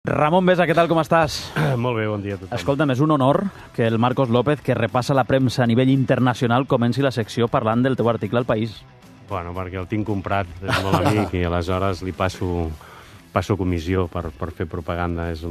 Ramon Besa, què tal, com estàs? Molt bé, bon dia a tothom. Escolta'm, és un honor que el Marcos López, que repassa la premsa a nivell internacional, comenci la secció parlant del teu article al País. Bueno, perquè el tinc comprat, és molt amic, i aleshores li passo comissió per fer propaganda. És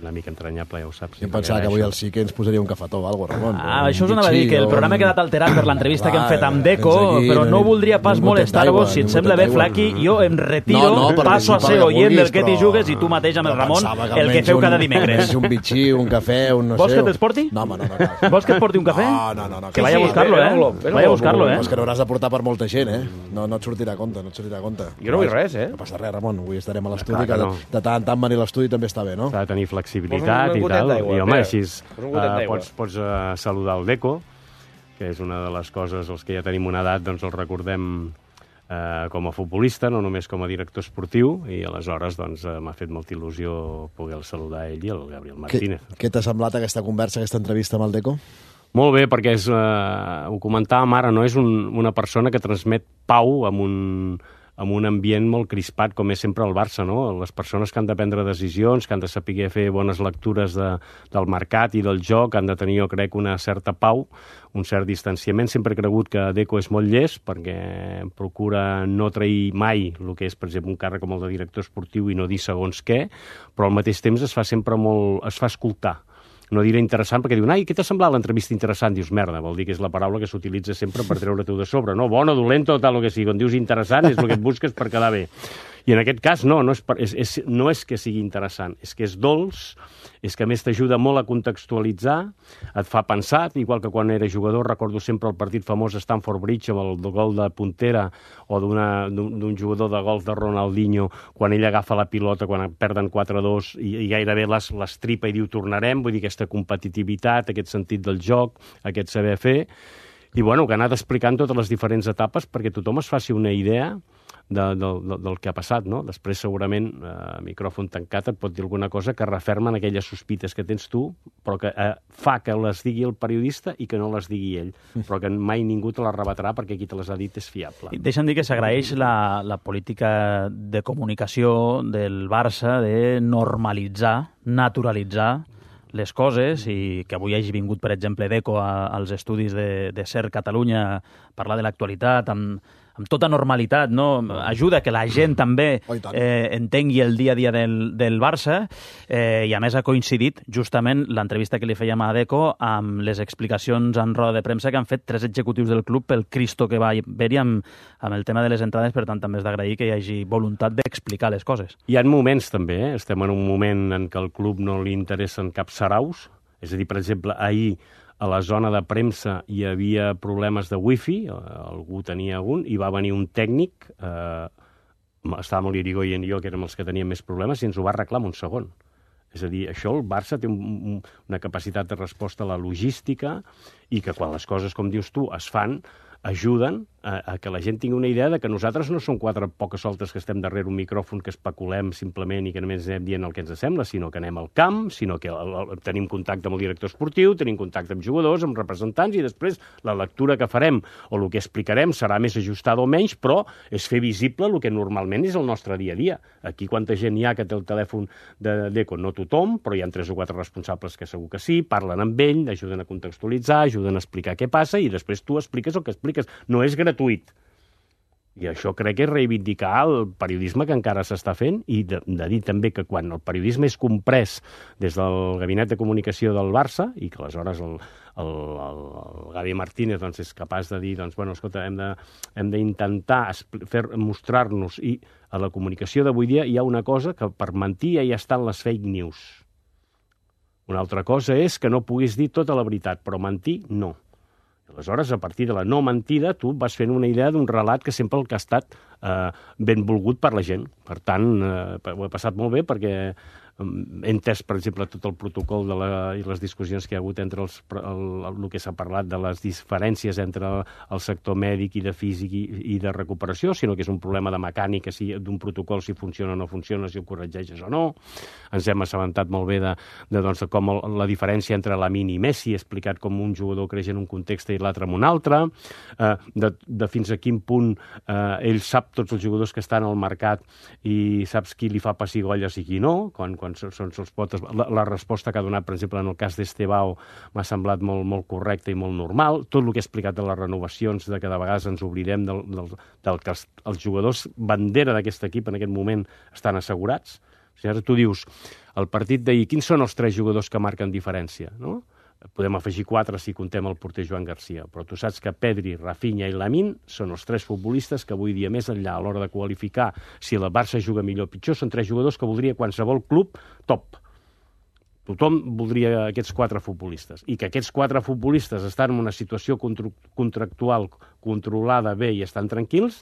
una mica entranyable, ja ho saps. Jo em pensava que avui al sí que ens posaria un cafetó o alguna cosa, Ramon. Això us anava a dir, que el programa ha quedat alterat per l'entrevista que hem fet amb Deco, però no voldria pas molestar-vos. Si et sembla bé, Flaqui, jo em retiro, passo a ser oient del que t'hi jugues i tu mateix amb el Ramon, el que feu cada dimecres. Un bitxí, un cafè, un no sé... Vols que te'ls porti? No, no. Vols que et porti un cafè? No. Que vaya a buscar-lo, Vaya a buscar-lo, És que n'hauràs de portar per molta gent, No et sortirà a compte, Jo no vull res, No passa res, Ramon, avui estarem a l'estudi, que de tant en tant venir a l'estudi també està bé, no? S'ha de tenir flexibilitat i tal. I home, així pots saludar el Deco, que és una de les coses, els que ja tenim una edat, doncs el recordem com a futbolista, no només com a director esportiu, i aleshores doncs m'ha fet molta il·lusió poder saludar ell i el Gabriel Martínez. Què t'ha semblat aquesta conversa, aquesta entrevista amb el Deco? Molt bé, perquè ho comentàvem ara, no? És una persona que transmet pau amb un ambient molt crispat, com és sempre el Barça, no? Les persones que han de prendre decisions, que han de saber fer bones lectures del mercat i del joc, han de tenir, jo crec, una certa pau, un cert distanciament. Sempre he cregut que Deco és molt llest, perquè procura no trair mai el que és, per exemple, un càrrec com el de director esportiu i no dir segons què, però al mateix temps es fa escoltar. No diré interessant, perquè diuen, què t'ha semblat l'entrevista interessant? Dius, merda, vol dir que és la paraula que s'utilitza sempre per treure-t'ho de sobre, no? Bona, dolenta o tal, el que sigui. Quan dius interessant és el que et busques per quedar bé. I en aquest cas no és que sigui interessant, és que és dolç, és que a més t'ajuda molt a contextualitzar, et fa pensar, igual que quan era jugador, recordo sempre el partit famós a Stamford Bridge amb el gol de puntera o d'un jugador de golf de Ronaldinho, quan ell agafa la pilota, quan perden 4-2 i gairebé l'estripa i diu tornarem, vull dir aquesta competitivitat, aquest sentit del joc, aquest saber fer, i bueno, que ha anat explicant totes les diferents etapes perquè tothom es faci una idea del que ha passat, no? Després, segurament, micròfon tancat et pot dir alguna cosa que referma en aquelles sospites que tens tu, però que fa que les digui el periodista i que no les digui ell, però que mai ningú te les rebatrà perquè qui te les ha dit és fiable. Deixa'm dir que s'agraeix la política de comunicació del Barça de normalitzar, naturalitzar les coses, i que avui hagi vingut, per exemple, Deco als estudis de SER Catalunya a parlar de l'actualitat amb tota normalitat, no? Ajuda que la gent també entengui el dia a dia del Barça, i a més ha coincidit justament l'entrevista que li fèiem a Deco amb les explicacions en roda de premsa que han fet 3 executius del club pel Cristo que va haver-hi amb el tema de les entrades. Per tant, també és d'agrair que hi hagi voluntat d'explicar les coses. Hi ha moments també, estem en un moment en què al club no li interessen cap saraus, és a dir, per exemple, ahir a la zona de premsa hi havia problemes de wifi, algú tenia algun, i va venir un tècnic, estàvem l'Irigoyen i jo, que érem els que teníem més problemes, i ens ho va arreglar en un segon. És a dir, això el Barça té una capacitat de resposta a la logística i que quan les coses, com dius tu, es fan, ajuden a que la gent tingui una idea de que nosaltres no som 4 poques soltes que estem darrere un micròfon que especulem simplement i que només anem dient el que ens sembla, sinó que anem al camp, sinó que tenim contacte amb el director esportiu, tenim contacte amb jugadors, amb representants, i després la lectura que farem o el que explicarem serà més ajustada o menys, però és fer visible el que normalment és el nostre dia a dia. Aquí quanta gent hi ha que té el telèfon de Deco? No tothom, però hi ha 3 o 4 responsables que segur que sí, parlen amb ell, ajuden a contextualitzar, ajuden a explicar què passa, i després tu expliques el que expliques. No és gratuït. I això crec que és reivindicar el periodisme que encara s'està fent, i de dir també que quan el periodisme és comprès des del gabinet de comunicació del Barça, i que aleshores el Gavi Martínez doncs, és capaç de dir, doncs, bueno, escolta, hem d'intentar mostrar-nos, i a la comunicació d'avui dia hi ha una cosa que per mentir ja hi estan les fake news. Una altra cosa és que no puguis dir tota la veritat, però mentir no. Aleshores, a partir de la no mentida, tu vas fent una idea d'un relat que sempre el que ha estat benvolgut per la gent. Per tant, ho he passat molt bé perquè he entès, per exemple, tot el protocol i les discussions que hi ha hagut entre el que s'ha parlat de les diferències entre el sector mèdic i de físic i de recuperació, sinó que és un problema de mecànica, d'un protocol, si funciona o no funciona, si ho corregeixes o no. Ens hem assabentat molt bé de com la diferència entre Lamine i Messi, explicat com un jugador creix en un context i l'altre en un altre, de fins a quin punt ell sap sap tots els jugadors que estan al mercat i saps qui li fa pessigolles i qui no, quan són els potes. La resposta que ha donat, per exemple, en el cas d'Estebao m'ha semblat molt correcta i molt normal. Tot el que he explicat de les renovacions, de que de vegades ens oblidem del que els jugadors bandera d'aquest equip en aquest moment estan assegurats. O sigui, ara tu dius, el partit d'ahir, quins són els 3 jugadors que marquen diferència, no? Podem afegir 4 si contem el porter Joan Garcia, però tu saps que Pedri, Rafinha i Lamine són els 3 futbolistes que avui dia més enllà a l'hora de qualificar si el Barça juga millor o pitjor, són 3 jugadors que voldria qualsevol club top. Tothom voldria aquests 4 futbolistes. I que aquests 4 futbolistes estan en una situació contractual controlada bé i estan tranquils,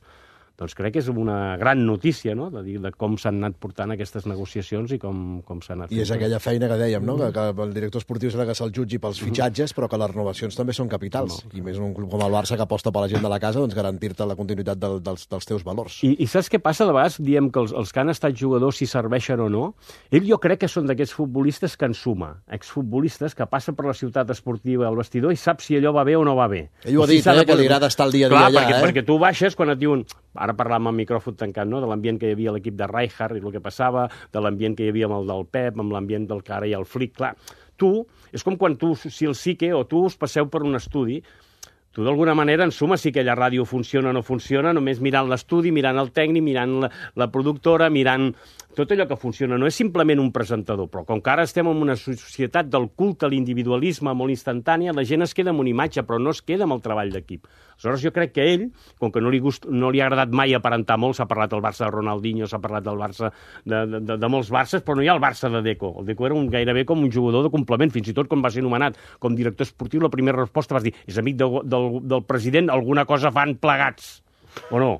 doncs crec que és una gran notícia, no?, de com s'han anat portant aquestes negociacions i com s'han anat fent. I és aquella feina que dèiem, no?, que el director esportiu serà que se'l jutgi pels fitxatges, però que les renovacions també són capitals. I més en un club com el Barça que aposta per la gent de la casa, doncs garantir-te la continuïtat dels teus valors. I saps què passa? De vegades diem que els que han estat jugadors, si serveixen o no, jo crec que són d'aquests futbolistes que en suma, exfutbolistes que passen per la ciutat esportiva al vestidor i sap si allò va bé o no va bé. Ell ho ha dit, que li agrada estar el dia a dia allà. Perquè tu baixes quan et diuen... Ara parlàvem amb micròfon tancat, no?, de l'ambient que hi havia a l'equip de Rijkaard i el que passava, de l'ambient que hi havia amb el del Pep, amb l'ambient del que ara hi ha el Flick. Clar, tu, és com quan tu, si el Sique o tu us passeu per un estudi, tu d'alguna manera, en suma, si aquella ràdio funciona o no funciona, només mirant l'estudi, mirant el tècnic, mirant la productora, mirant tot allò que funciona. No és simplement un presentador, però com que ara estem en una societat del culte a l'individualisme molt instantània, la gent es queda amb una imatge, però no es queda amb el treball d'equip. Aleshores, jo crec que ell, com que no li ha agradat mai aparentar molt, s'ha parlat del Barça de Ronaldinho, s'ha parlat del Barça de molts Barces, però no hi ha el Barça de Deco. El Deco era gairebé com un jugador de complement, fins i tot quan va ser nomenat com director esportiu, la primera resposta vas dir, és amic del president, alguna cosa fan plegats, o no?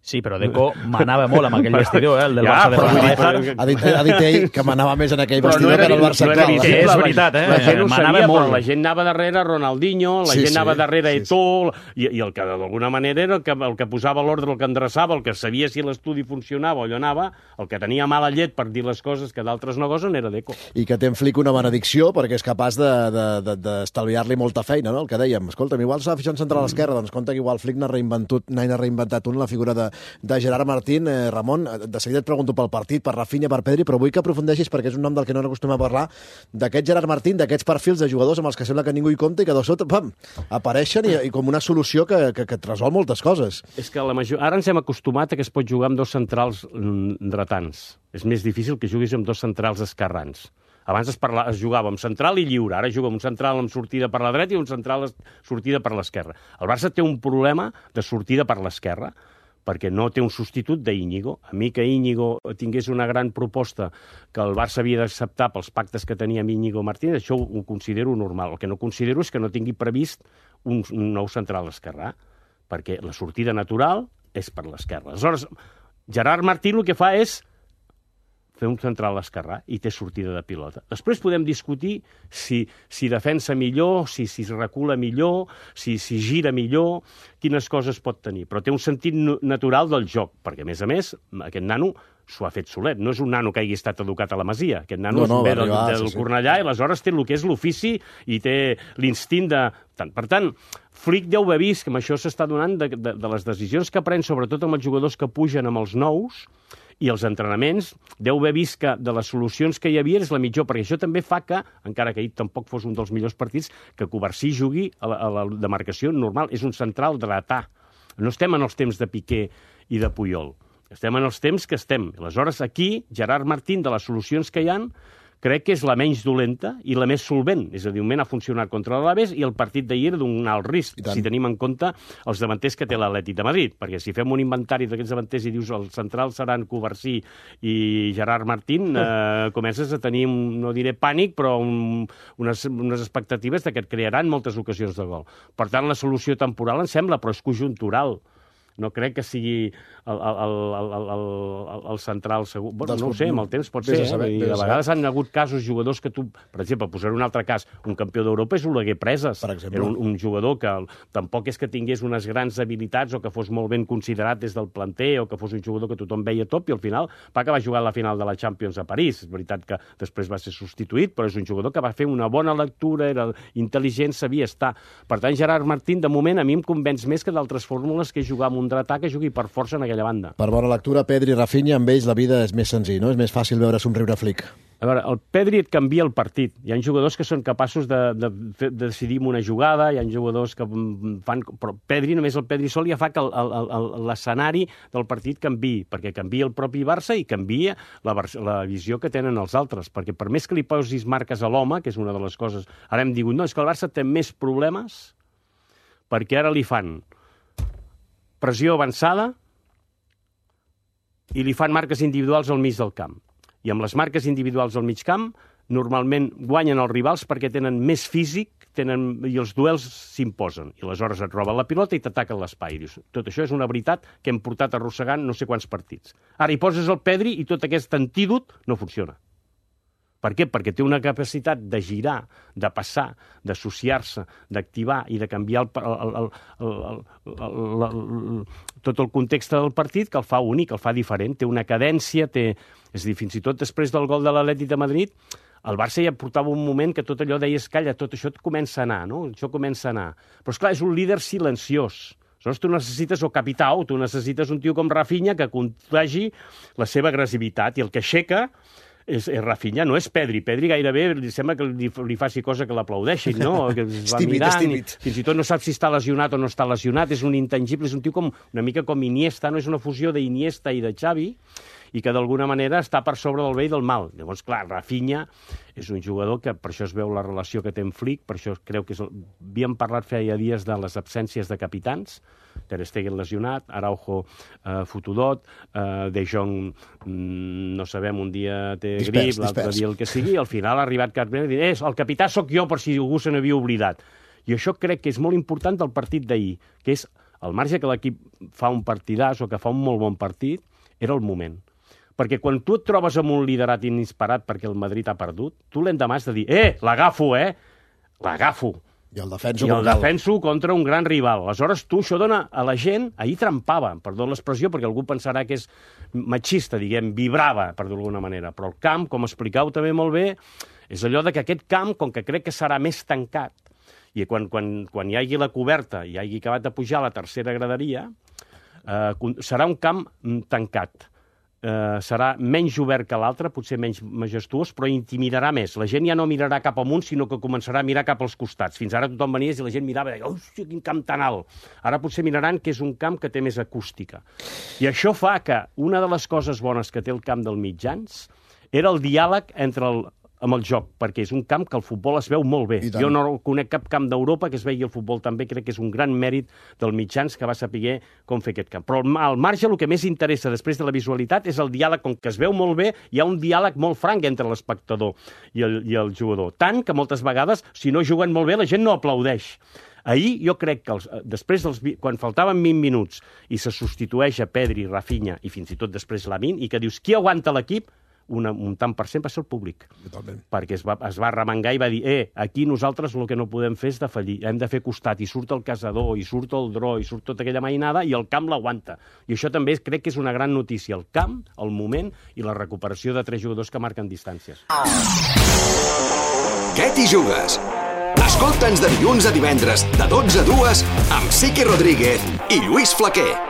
Sí, però Deco manava molt amb aquell vestidor, el del Barça de Ronaldinho. Ha dit ell que manava més en aquell vestidor que en el Barça actual. És veritat, la gent ho sabia, però la gent anava darrere Ronaldinho, la gent anava darrere Eto'o, i el que d'alguna manera era el que posava l'ordre, el que endreçava, el que sabia si l'estudi funcionava o allò anava, el que tenia mala llet per dir les coses que d'altres no gosen era Deco. I que té en Flick una benedicció perquè és capaç d'estalviar-li molta feina, no? El que dèiem, escolta'm, igual s'ha fitxat central a l'esquerra, doncs compte que igual Flick n'ha reinventat la figura de Gerard Martín. Ramon, de seguida et pregunto pel partit, per Rafinha, per Pedri, però vull que aprofundeixis, perquè és un nom del que no acostumem a parlar, d'aquest Gerard Martín, d'aquests perfils de jugadors amb els que sembla que ningú hi compta i que de sobte apareixen i com una solució que et resol moltes coses. És que ara ens hem acostumat a que es pot jugar amb 2 centrals dretans. És més difícil que juguis amb 2 centrals esquerrans. Abans es jugava amb central i lliure, ara juga amb un central amb sortida per la dreta i un central sortida per l'esquerra. El Barça té un problema de sortida per l'esquerra, perquè no té un substitut d'Íñigo. A mi que Íñigo tingués una gran proposta que el Barça havia d'acceptar pels pactes que tenia amb Íñigo Martínez, això ho considero normal. El que no considero és que no tingui previst un nou central esquerrà, perquè la sortida natural és per l'esquerra. Aleshores, Gerard Martín el que fa és fer un central esquerrà i té sortida de pilota. Després podem discutir si defensa millor, si recula millor, si gira millor, quines coses pot tenir. Però té un sentit natural del joc, perquè, a més, aquest nano s'ho ha fet solet. No és un nano que hagi estat educat a la Masia. Aquest nano ve del Cornellà i aleshores té el que és l'ofici i té l'instint de... Per tant, Flick deu haver vist que amb això s'està donant de les decisions que pren, sobretot amb els jugadors que pugen amb els nous, i els entrenaments, deu haver vist que de les solucions que hi havia és la millor, perquè això també fa que, encara que ahir tampoc fos un dels millors partits, que Covarsí jugui a la demarcació normal. És un central dretà. No estem en els temps de Piqué i de Puyol. Estem en els temps que estem. Aleshores, aquí, Gerard Martín, de les solucions que hi ha, crec que és la menys dolenta i la més solvent. És a dir, un moment ha funcionat contra l'Alaves i el partit d'ahir d'un alt risc, si tenim en compte els davanters que té l'Atlètic de Madrid. Perquè si fem un inventari d'aquests davanters i dius els centrals seran Covarsí i Gerard Martín, comences a tenir, no diré pànic, però unes expectatives que et crearan moltes ocasions de gol. Per tant, la solució temporal em sembla, però és conjuntural. No crec que sigui el central segur. Bueno, no ho sé, amb el temps pot ser. I de vegades han hagut casos, jugadors que tu... Per exemple, posaré un altre cas. Un campió d'Europa és Oleguer Preses. Era un jugador que tampoc és que tingués unes grans habilitats o que fos molt ben considerat des del planter o que fos un jugador que tothom veia top i al final va acabar jugant la final de la Champions a París. És veritat que després va ser substituït, però és un jugador que va fer una bona lectura, era intel·ligent, sabia estar. Per tant, Gerard Martín, de moment, a mi em convenç més que d'altres fórmules que és jugar amb un contraatac que jugui per força en aquella banda. Per bona lectura, Pedri i Rafinha, amb ells la vida és més senzill, no? És més fàcil veure somriure Flick. A veure, el Pedri et canvia el partit. Hi ha jugadors que són capaços de decidir una jugada, hi ha jugadors que fan... Però Pedri, només el Pedri sol ja fa que l'escenari del partit canviï, perquè canvia el propi Barça i canvia la visió que tenen els altres, perquè per més que li posis marques a l'home, que és una de les coses... Ara hem dit, no, és que el Barça té més problemes perquè ara li fan pressió avançada i li fan marques individuals al mig del camp. I amb les marques individuals al mig camp, normalment guanyen els rivals perquè tenen més físic i els duels s'imposen. I aleshores et roben la pilota i t'ataquen l'espai. Tot això és una veritat que hem portat arrossegant no sé quants partits. Ara hi poses el Pedri i tot aquest antídot no funciona. Per què? Perquè té una capacitat de girar, de passar, d'associar-se, d'activar i de canviar tot el context del partit que el fa únic, el fa diferent. Té una cadència, és a dir, fins i tot després del gol de l'Atlètic de Madrid, el Barça ja portava un moment que tot allò deies, calla, tot això et comença a anar, no? Això comença a anar. Però, esclar, és un líder silenciós. Aleshores, tu necessites o capità o tu necessites un tio com Rafinha que contagi la seva agressivitat i el que aixeca és Rafinha, no és Pedri. Pedri gairebé li sembla que li faci cosa que l'aplaudeixin, no? Que es va mirant, fins i tot no sap si està lesionat o no està lesionat, és un intangible, és un tio una mica com Iniesta, no? És una fusió d'Iniesta i de Xavi, i que d'alguna manera està per sobre del bé i del mal. Llavors, clar, Rafinha és un jugador que per això es veu la relació que té amb Flick, per això creu que havíem parlat feia dies de les absències de capitans, Ter Stegen lesionat, Araujo fotudot, De Jong no sabem, un dia té grip, l'altre dia el que sigui, i al final ha arribat Carmen i dit, el capità sóc jo per si algú se n'havia oblidat. I això crec que és molt important del partit d'ahir, que és al marge que l'equip fa un partidàs o que fa un molt bon partit, era el moment. Perquè quan tu et trobes amb un liderat inesperat perquè el Madrid ha perdut, tu l'endemà has de dir, l'agafo, l'agafo. I el defenso contra un gran rival. Aleshores, tu això dona a la gent... Ahir trampava, perdó l'expressió, perquè algú pensarà que és machista, diguem, vibrava, per dir-ho d'alguna manera. Però el camp, com explicau també molt bé, és allò de que aquest camp, com que crec que serà més tancat, i quan hi hagi la coberta i hi hagi acabat de pujar a la tercera graderia, serà un camp tancat. Serà menys obert que l'altre, potser menys majestuós, però intimidarà més. La gent ja no mirarà cap amunt, sinó que començarà a mirar cap als costats. Fins ara tothom venia i la gent mirava i deia, hòstia, quin camp tan alt. Ara potser miraran que és un camp que té més acústica. I això fa que una de les coses bones que té el camp del mitjans era el diàleg amb el joc, perquè és un camp que el futbol es veu molt bé. Jo no conec cap camp d'Europa que es vegi el futbol tan bé, crec que és un gran mèrit del mitjans que va saber com fer aquest camp. Però al marge el que més interessa després de la visualitat és el diàleg, com que es veu molt bé, hi ha un diàleg molt franc entre l'espectador i el jugador. Tant que moltes vegades, si no juguen molt bé, la gent no aplaudeix. Ahir jo crec que després quan faltaven 20 minuts i se substitueix a Pedri, Rafinha i fins i tot després Lamine, i que dius, qui aguanta l'equip? Un tant per cent va ser el públic. Totalment. Perquè es va arremangar i va dir, aquí nosaltres el que no podem fer és defallir, hem de fer costat, i surt el caçador, i surt el dro, i surt tota aquella mainada, i el camp l'aguanta. I això també crec que és una gran notícia, el camp, el moment i la recuperació de 3 jugadors que marquen distàncies. Què t'hi jugues? Escolta'ns de dilluns a divendres, de 12 a 2, amb Siqui Rodríguez i Lluís Flaquer.